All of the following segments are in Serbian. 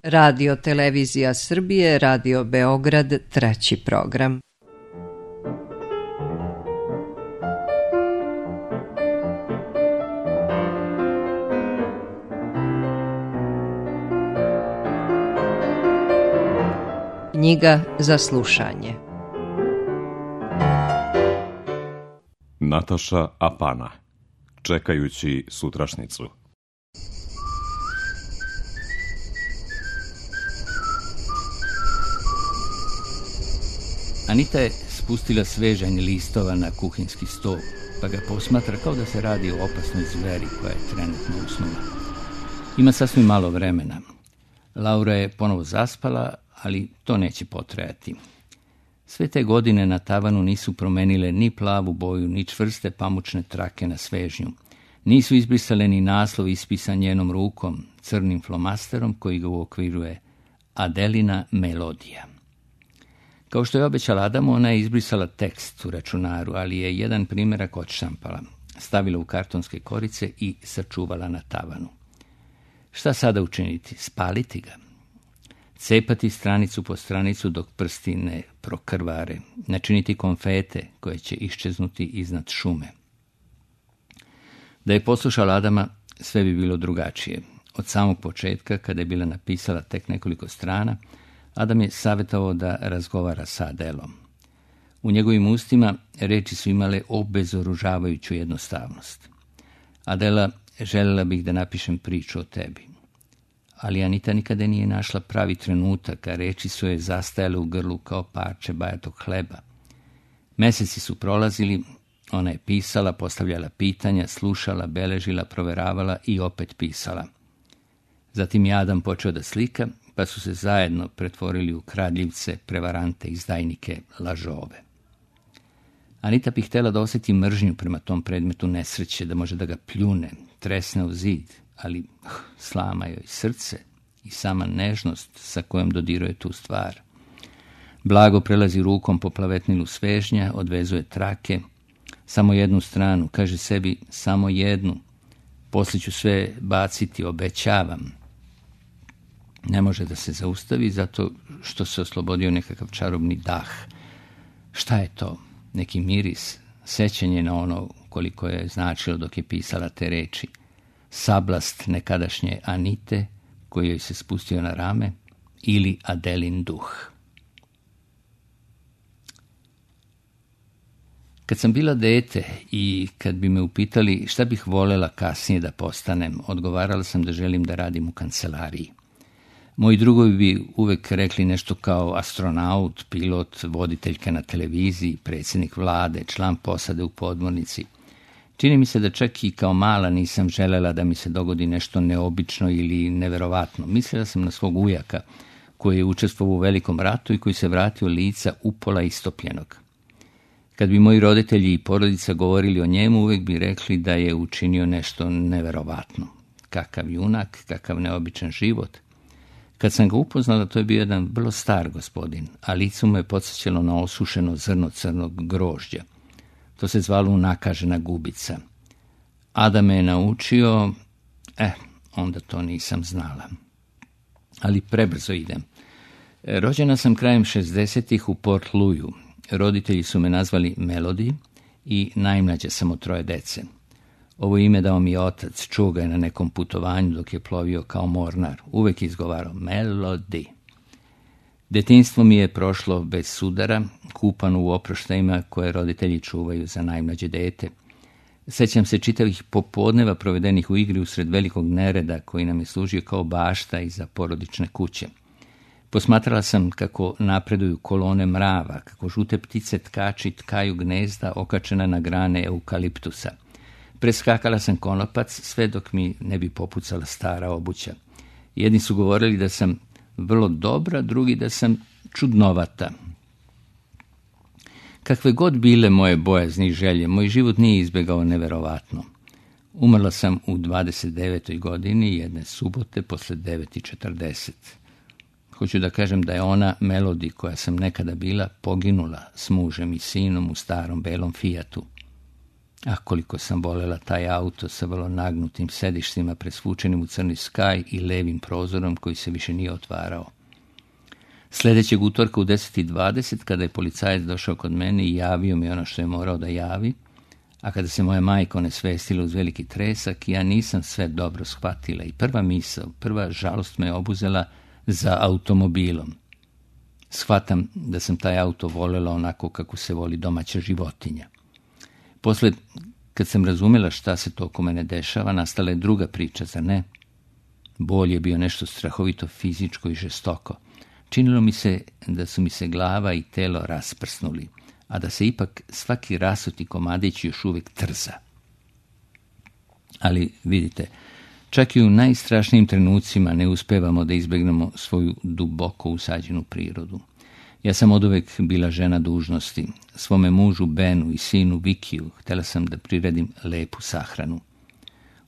Radio Televizija Srbije, Radio Beograd, 3. program. Knjiga za slušanje. Nataša Apana. Čekajući sutrašnicu. Anita je spustila svežanj listova na kuhinjski stol, pa ga posmatra kao da se radi o opasnoj zveri koja je trenutno usnula. Ima sasvim malo vremena. Laura je ponovo zaspala, ali to neće potrajati. Sve te godine na tavanu nisu promenile ni plavu boju, ni čvrste pamučne trake na svežnju. Nisu izbrisale ni naslov ispisan njenom rukom, crnim flomasterom koji ga uokviruje Adelina melodija. Kao što je obećala Adamu, ona je izbrisala tekst u računaru, ali je jedan primjerak odštampala, stavila u kartonske korice i sačuvala na tavanu. Šta sada učiniti? Spaliti ga? Cepati stranicu po stranicu dok prsti ne prokrvare, načiniti konfete koje će iščeznuti iznad šume. Da je poslušala Adama, sve bi bilo drugačije. Od samog početka, kada je bila napisala tek nekoliko strana, Adam je savjetovao da razgovara sa Adelom. U njegovim ustima reči su imale obezoružavajuću jednostavnost. Adela, željela bih da napišem priču o tebi. Ali Anita nikada nije našla pravi trenutak, a reči su je zastajale u grlu kao parče bajatog hleba. Meseci su prolazili, ona je pisala, postavljala pitanja, slušala, beležila, proveravala i opet pisala. Zatim je Adam počeo da slika, pa su se zajedno pretvorili u kradljivce, prevarante, izdajnike, lažove. Anita bi htjela da osjeti mržnju prema tom predmetu nesreće, da može da ga pljune, tresne u zid, ali slama joj srce i sama nežnost sa kojom dodiruje tu stvar. Blago prelazi rukom po plavetnilu svežnja, odvezuje trake, samo jednu stranu, kaže sebi samo jednu, poslije ću sve baciti, obećavam. Ne može da se zaustavi zato što se oslobodio nekakav čarobni dah. Šta je to? Neki miris, sećanje na ono koliko je značilo dok je pisala te reči. Sablast nekadašnje Anite koji joj se spustio na rame ili Adelin duh. Kad sam bila dete i kad bi me upitali šta bih voljela kasnije da postanem, odgovarala sam da želim da radim u kancelariji. Moji drugovi bi uvek rekli nešto kao astronaut, pilot, voditeljka na televiziji, predsjednik vlade, član posade u podmornici. Čini mi se da čak i kao mala nisam želela da mi se dogodi nešto neobično ili neverovatno. Mislila sam na svog ujaka koji je učestvovao u velikom ratu i koji se vratio lica upola istopljenog. Kad bi moji roditelji i porodica govorili o njemu, uvek bi rekli da je učinio nešto neverovatno. Kakav junak, kakav neobičan život. Kad sam ga upoznala, to je bio jedan vrlo star gospodin, a licu mu je podsjećalo na osušeno zrno crnog grožđa. To se zvalo unakažena gubica. Adam me je naučio, onda to nisam znala. Ali prebrzo idem. Rođena sam krajem 60-ih u Port Louisu. Roditelji su me nazvali Melody i najmlađa sam od 3 dece. Ovo ime dao mi je otac, čuo ga je na nekom putovanju dok je plovio kao mornar. Uvek je izgovarao Melody. Detinjstvo mi je prošlo bez sudara, kupano u oproštajima koje roditelji čuvaju za najmlađe dete. Sećam se čitavih popodneva provedenih u igri usred velikog nereda koji nam je služio kao bašta iza porodične kuće. Posmatrala sam kako napreduju kolone mrava, kako žute ptice tkači tkaju gnezda okačena na grane eukaliptusa. Preskakala sam konopac sve dok mi ne bi popucala stara obuća. Jedni su govorili da sam vrlo dobra, drugi da sam čudnovata. Kakve god bile moje bojazni i želje, moj život nije izbjegao neverovatno. Umrla sam u 29. godini jedne subote posle 9:40. Hoću da kažem da je ona Melody koja sam nekada bila poginula s mužem i sinom u starom belom Fijatu. A koliko sam voljela taj auto sa vrlo nagnutim sedištima presvučenim u crni skaj i levim prozorom koji se više nije otvarao. Sljedećeg utorka u 10:20, kada je policajac došao kod mene i javio mi ono što je morao da javi, a kada se moja majka onesvestila uz veliki tresak, ja nisam sve dobro shvatila i prva misao, prva žalost me obuzela za automobilom. Shvatam da sam taj auto voljela onako kako se voli domaća životinja. Posle, kad sam razumjela šta se to oko mene dešava, nastala je druga priča, zar ne? Bol je bio nešto strahovito fizičko i žestoko. Činilo mi se da su mi se glava i telo rasprsnuli, a da se ipak svaki rasuti komadić još uvijek trza. Ali vidite, čak i u najstrašnijim trenucima ne uspevamo da izbjegnemo svoju duboko usađenu prirodu. Ja sam oduvek bila žena dužnosti. Svome mužu Benu i sinu Vikiju htjela sam da priredim lepu sahranu.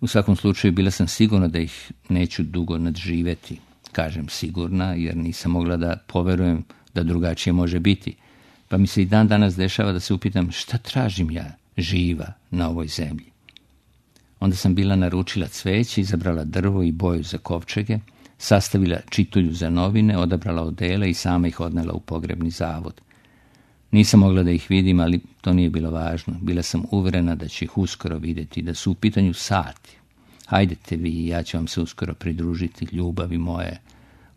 U svakom slučaju bila sam sigurna da ih neću dugo nadživjeti. Kažem sigurna jer nisam mogla da poverujem da drugačije može biti. Pa mi se i dan danas dešava da se upitam šta tražim ja živa na ovoj zemlji. Onda sam bila naručila cveće, izabrala drvo i boju za kovčege, sastavila čitulju za novine, odabrala odele i sama ih odnela u pogrebni zavod. Nisam mogla da ih vidim, ali to nije bilo važno. Bila sam uverena da će ih uskoro vidjeti, da su u pitanju sati. Hajdete vi i ja ću vam se uskoro pridružiti, ljubavi moje.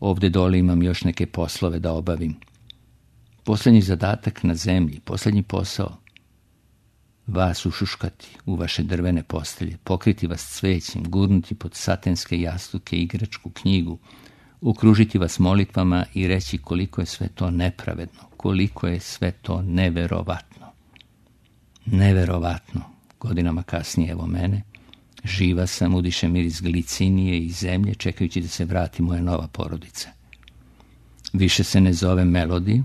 Ovdje dole imam još neke poslove da obavim. Posljednji zadatak na zemlji, posljednji posao. Vas ušuškati u vaše drvene postelje, pokriti vas cvećem, gurnuti pod satenske jastuke igračku knjigu, okružiti vas molitvama i reći koliko je sve to nepravedno, koliko je sve to neverovatno. Neverovatno. Godinama kasnije evo mene. Živa sam, udišem miris glicinije i zemlje, čekajući da se vrati moja nova porodica. Više se ne zove Melody.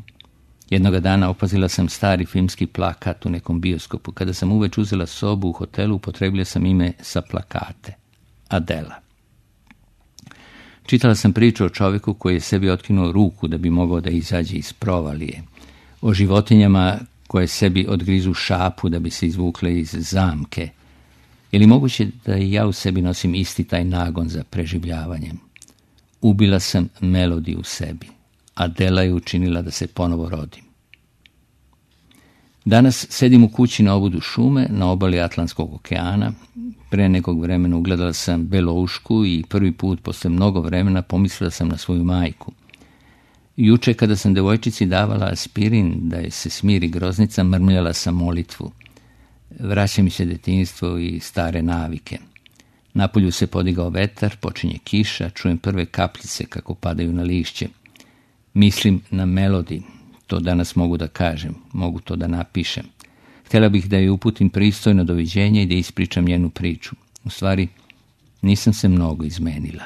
Jednoga dana opazila sam stari filmski plakat u nekom bioskopu. Kada sam uveć uzela sobu u hotelu, upotrebila sam ime sa plakate. Adela. Čitala sam priču o čovjeku koji je sebi otkinuo ruku da bi mogao da izađe iz provalije. O životinjama koje sebi odgrizu šapu da bi se izvukle iz zamke. Je li moguće da i ja u sebi nosim isti taj nagon za preživljavanjem? Ubila sam Melody u sebi. Adela je učinila da se ponovo rodim. Danas sedim u kući na obodu šume, na obali Atlantskog okeana. Pre nekog vremena ugledala sam beloušku i prvi put posle mnogo vremena pomislila sam na svoju majku. Juče kada sam devojčici davala aspirin da je se smiri groznica, mrmljala sam molitvu. Vraća mi se detinjstvo i stare navike. Napolju se podigao vetar, počinje kiša, čujem prve kapljice kako padaju na lišće. Mislim na Melody, to danas mogu da kažem, mogu to da napišem. Htjela bih da je uputim pristojno doviđenje i da ispričam njenu priču. U stvari, nisam se mnogo izmenila.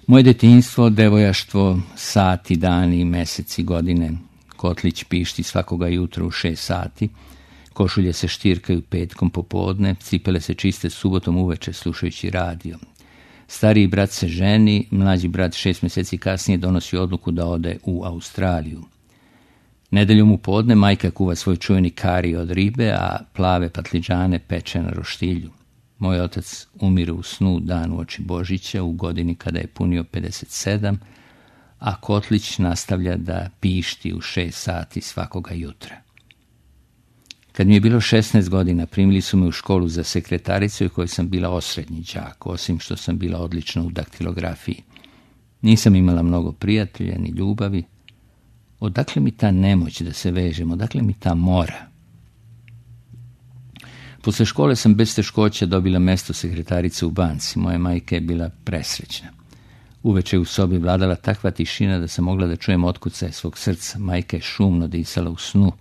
Moje detinjstvo, devojaštvo, sati, dani, meseci, godine, kotlić pišti svakoga jutra u 6 sati, košulje se štirkaju petkom popodne, cipele se čiste subotom uveče slušajući radio. Stariji brat se ženi, mlađi brat 6 mjeseci kasnije donosi odluku da ode u Australiju. Nedeljom u podne majka kuva svoj čuveni kari od ribe, a plave patliđane peče na roštilju. Moj otac umire u snu dan uoči Božića u godini kada je punio 57, a kotlić nastavlja da pišti u 6 sati svakoga jutra. Kad mi je bilo 16 godina, primili su me u školu za sekretaricu u kojoj sam bila osrednji đak, osim što sam bila odlična u daktilografiji. Nisam imala mnogo prijatelja ni ljubavi. Odakle mi ta nemoć da se vežem, odakle mi ta mora? Posle škole sam bez teškoća dobila mesto sekretarice u banci. Moja majka je bila presrećna. Uveče u sobi vladala takva tišina da sam mogla da čujem otkucaje svog srca. Majka je šumno disala u snu.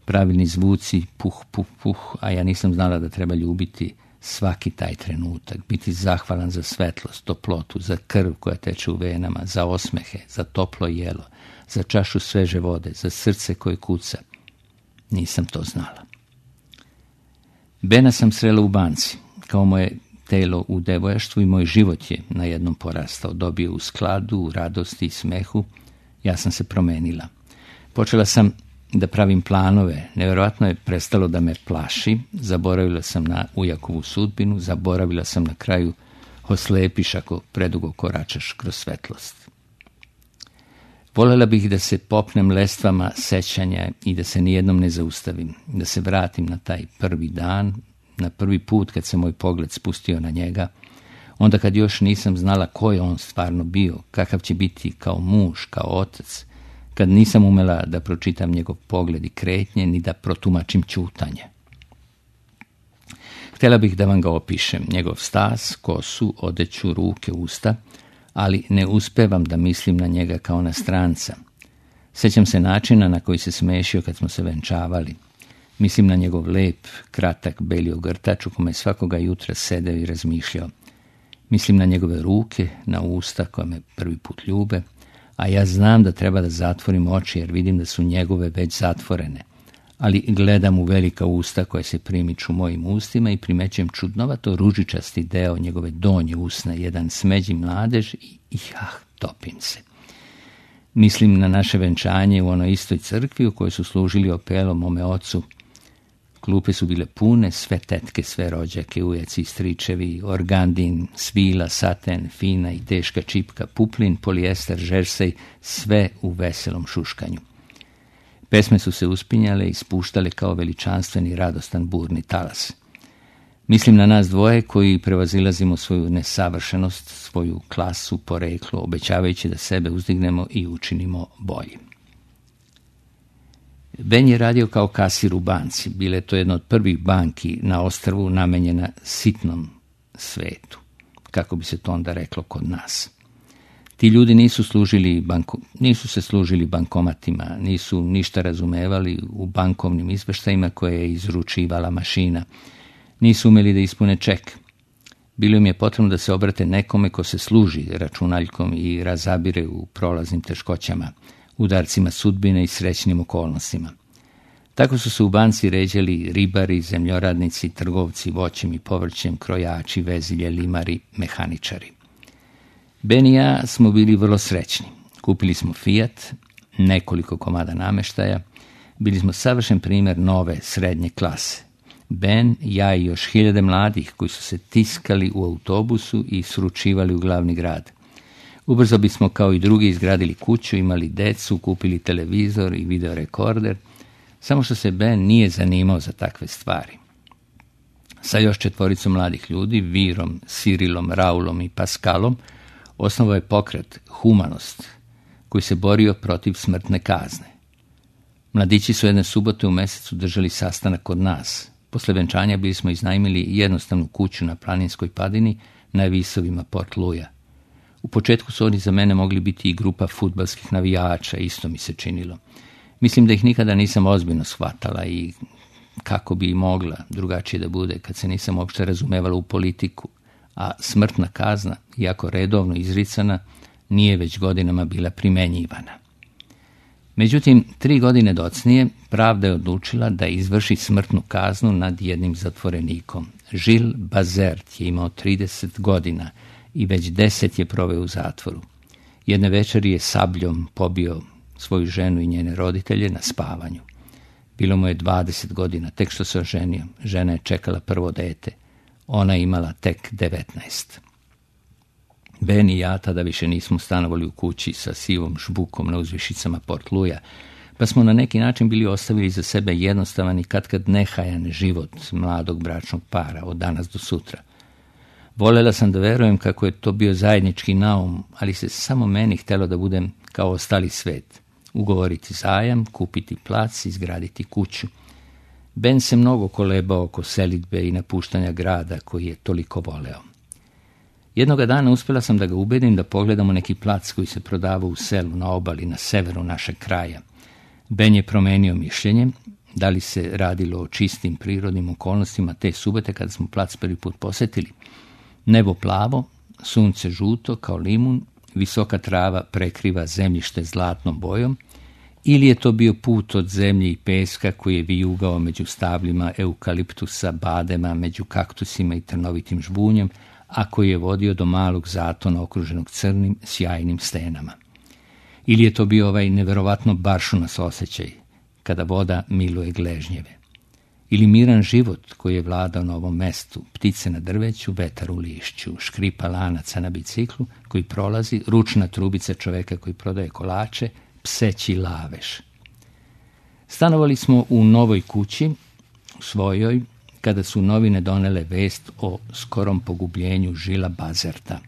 Pravilni zvuci, puh, puh, puh, a ja nisam znala da treba ljubiti svaki taj trenutak, biti zahvalan za svetlost, toplotu, za krv koja teče u venama, za osmehe, za toplo jelo, za čašu sveže vode, za srce koje kuca. Nisam to znala. Bena sam srela u banci. Kao moje telo u devojaštvu i moj život je na jednom porastao, dobio u skladu, u radosti i smehu. Ja sam se promenila. Počela sam da pravim planove. Nevjerojatno je prestalo da me plaši. Zaboravila sam na ujakovu sudbinu, zaboravila sam na kraju oslepiš ako predugo koračaš kroz svetlost. Voljela bih da se popnem lestvama sećanja i da se nijednom ne zaustavim, da se vratim na taj prvi dan, na prvi put kad se moj pogled spustio na njega, onda kad još nisam znala ko je on stvarno bio, kakav će biti kao muž, kao otac, kad nisam umela da pročitam njegov pogled i kretnje, ni da protumačim ćutanje. Htjela bih da vam ga opišem, njegov stas, kosu, odeću, ruke, usta, ali ne uspevam da mislim na njega kao na stranca. Sjećam se načina na koji se smešio kad smo se venčavali. Mislim na njegov lep, kratak, beli ogrtač u kome svakoga jutra sedeo i razmišljao. Mislim na njegove ruke, na usta koje me prvi put ljube, a ja znam da treba da zatvorim oči jer vidim da su njegove već zatvorene. Ali gledam u velika usta koje se primiču mojim ustima i primećujem čudnovato ružičasti deo njegove donje usne, jedan smeđi mladež i topim se. Mislim na naše venčanje u onoj istoj crkvi u kojoj su služili opelo mome ocu. Klupe su bile pune, sve tetke, sve rođake, ujeci, stričevi, organdin, svila, saten, fina i teška čipka, puplin, polijester, žersej, sve u veselom šuškanju. Pesme su se uspinjale i spuštale kao veličanstveni, radostan, burni talas. Mislim na nas dvoje koji prevazilazimo svoju nesavršenost, svoju klasu, poreklo, obećavajući da sebe uzdignemo i učinimo boljim. Ben je radio kao kasir u banci. Bile to jedna od prvih banki na ostrvu namenjena sitnom svetu, kako bi se to onda reklo kod nas. Ti ljudi nisu se služili bankomatima, nisu ništa razumevali u bankovnim izveštajima koje je izručivala mašina. Nisu umeli da ispune ček. Bilo im je potrebno da se obrate nekome ko se služi računaljkom i razabire u prolaznim teškoćama, udarcima sudbine i srećnim okolnostima. Tako su se u banci ređali ribari, zemljoradnici, trgovci voćem i povrćem, krojači, vezilje, limari, mehaničari. Ben i ja smo bili vrlo srećni. Kupili smo Fiat, nekoliko komada nameštaja, bili smo savršen primjer nove srednje klase. Ben, ja i još 1000 mladih koji su se tiskali u autobusu i sručivali u glavni grad. Ubrzo bismo kao i drugi izgradili kuću, imali decu, kupili televizor i videorekorder, samo što se Ben nije zanimao za takve stvari. Sa još 4 mladih ljudi, Virom, Sirilom, Raulom i Paskalom, osnovao je pokret Humanost, koji se borio protiv smrtne kazne. Mladići su jedne subote u mesecu držali sastanak kod nas. Posle venčanja bili smo iznajmili jednostavnu kuću na planinskoj padini na visovima Port Louisa. U početku su oni za mene mogli biti i grupa fudbalskih navijača, isto mi se činilo. Mislim da ih nikada nisam ozbiljno shvatala i kako bi i mogla drugačije da bude kad se nisam uopšte razumevala u politiku, a smrtna kazna, iako redovno izricana, nije već godinama bila primenjivana. Međutim, 3 godine docnije pravda je odlučila da izvrši smrtnu kaznu nad jednim zatvorenikom. Gilles Bazert je imao 30 godina i već 10 je proveo u zatvoru. Jedne večeri je sabljom pobio svoju ženu i njene roditelje na spavanju. Bilo mu je 20 godina, tek što se oženio. Žena je čekala prvo dete. Ona je imala tek 19. Ben i ja tada više nismo stanovali u kući sa sivom žbukom na uzvišicama Port Louisa, pa smo na neki način bili ostavili za sebe jednostavan i katkad nehajan život mladog bračnog para od danas do sutra. Voljela sam da verujem kako je to bio zajednički naum, ali se samo meni htjelo da budem kao ostali svet. Ugovoriti zajam, kupiti plac, izgraditi kuću. Ben se mnogo kolebao oko selidbe i napuštanja grada koji je toliko voleo. Jednoga dana uspjela sam da ga ubedim da pogledamo neki plac koji se prodavao u selu na obali na severu našeg kraja. Ben je promenio mišljenje, da li se radilo o čistim prirodnim okolnostima te subote kada smo plac prvi put posjetili. Nebo plavo, sunce žuto kao limun, visoka trava prekriva zemljište zlatnom bojom, ili je to bio put od zemlje i peska koji je vijugao među stabljima eukaliptusa, badema, među kaktusima i trnovitim žbunjem, a koji je vodio do malog zatona okruženog crnim, sjajnim stenama. Ili je to bio ovaj neverovatno baršunas osjećaj, kada voda miluje gležnjeve. Ili miran život koji je vladao na ovom mestu, ptice na drveću, vetar u lišću, škripa lanaca na biciklu koji prolazi, ručna trubica čoveka koji prodaje kolače, pseći laveš. Stanovali smo u novoj kući, svojoj, kada su novine donele vest o skorom pogubljenju Žila Bazerta.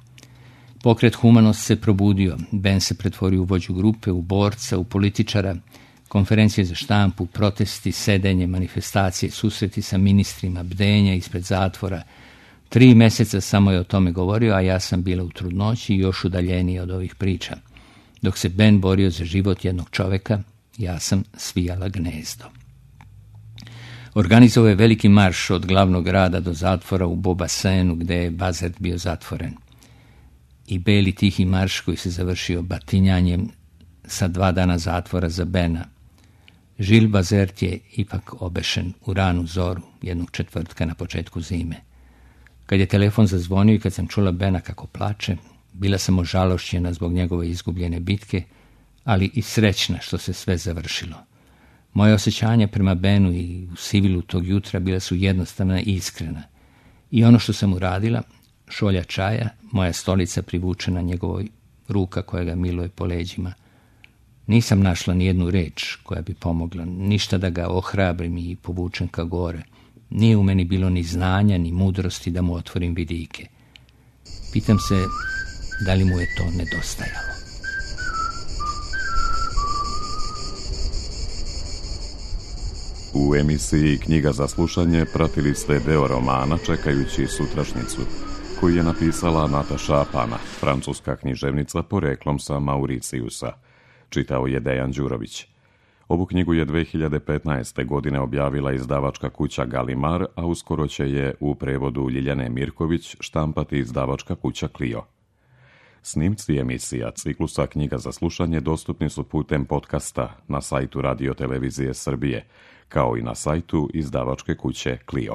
Pokret Humanost se probudio, Ben se pretvorio u vođu grupe, u borca, u političara, konferencije za štampu, protesti, sedenje, manifestacije, susreti sa ministrima, bdenja ispred zatvora. 3 meseca samo je o tome govorio, a ja sam bila u trudnoći i još udaljeniji od ovih priča. Dok se Ben borio za život jednog čoveka, ja sam svijala gnezdo. Organizovao je veliki marš od glavnog grada do zatvora u Beaubassinu, gde je Bazert bio zatvoren. I beli tihi marš koji se završio batinjanjem sa 2 dana zatvora za Bena. Žil Bazert je ipak obešen u ranu zoru jednog četvrtka na početku zime. Kad je telefon zazvonio i kad sam čula Bena kako plače, bila sam ožalošćena zbog njegove izgubljene bitke, ali i srećna što se sve završilo. Moje osjećanja prema Benu i u sivilu tog jutra bila su jednostavna i iskrena. I ono što sam uradila, šolja čaja, moja stolica privučena njegovoj ruka koja ga miluje po leđima. Nisam našla ni jednu reč koja bi pomogla, ništa da ga ohrabrim i povučem ka gore. Nije u meni bilo ni znanja, ni mudrosti da mu otvorim vidike. Pitam se da li mu je to nedostajalo. U emisiji Knjiga za slušanje pratili ste deo romana Čekajući sutrašnjicu, koji je napisala Nataša Apana, francuska književnica poreklom sa Mauricijusa. Čitao je Dejan Đurović. Ovu knjigu je 2015. godine objavila izdavačka kuća Galimar, a uskoro će je u prevodu Ljiljane Mirković štampati izdavačka kuća Clio. Snimci emisija ciklusa Knjiga za slušanje dostupni su putem podcasta na sajtu Radio Televizije Srbije, kao i na sajtu izdavačke kuće Clio.